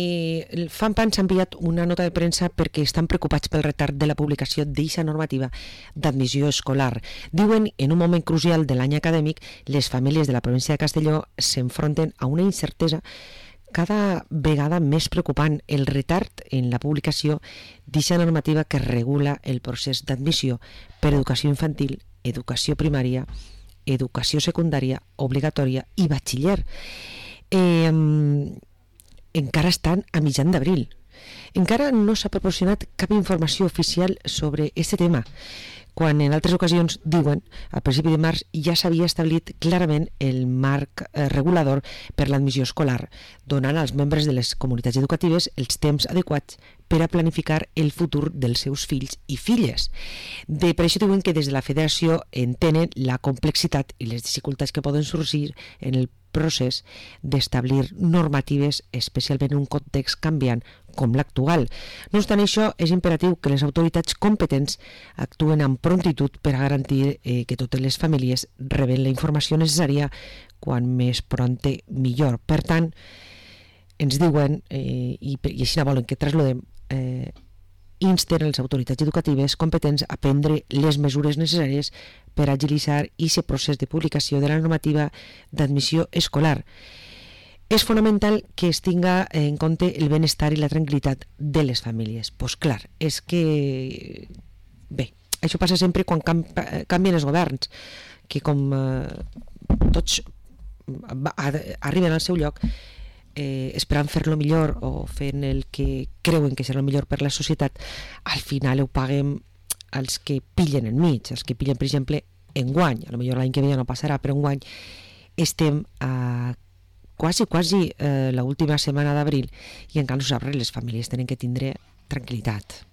El FAMPAN s'ha enviat una nota de premsa perquè estan preocupats pel retard de la publicació d'eixa normativa d'admissió escolar. Diuen, en un moment crucial de l'any acadèmic, les famílies de la província de Castelló s'enfronten a una incertesa cada vegada més preocupant, el retard en la publicació d'eixa normativa que regula el procés d'admissió per educació infantil, educació primària, educació secundària, obligatòria i batxiller. Encara estan a mitjan d'abril. Encara no s'ha proporcionat cap informació oficial sobre aquest tema, quan en altres ocasions diuen, a principi de març ja s'havia establit clarament el marc regulador per l'admissió escolar, donant als membres de les comunitats educatives els temps adequats per a planificar el futur dels seus fills i filles. Per això diuen que des de la federació entenen la complexitat i les dificultats que poden sorgir en el procés d'establir normatives, especialment en un context canviant com l'actual. No obstant això, és imperatiu que les autoritats competents actuen amb prontitud per a garantir que totes les famílies reben la informació necessària quan més prompte millor. Per tant, ens diuen, i així volen que traslladem, insten les autoritats educatives competents a prendre les mesures necessàries per agilitzar aquest procés de publicació de la normativa d'admissió escolar. És fonamental que es tinga en compte el benestar i la tranquil·litat de les famílies. Doncs clar, és que... Bé, això passa sempre quan canvien els governs, que com tots arriben al seu lloc, esperant fer-lo millor o fent el que creuen que serà el millor per la societat, al final ho paguem els que pillen enmig, els que pillen, per exemple, enguany. A lo millor l'any que ve ja no passarà, però enguany estem a quasi l'última setmana d'abril i encara no s'obre, les famílies tenen que tindre tranquil·litat.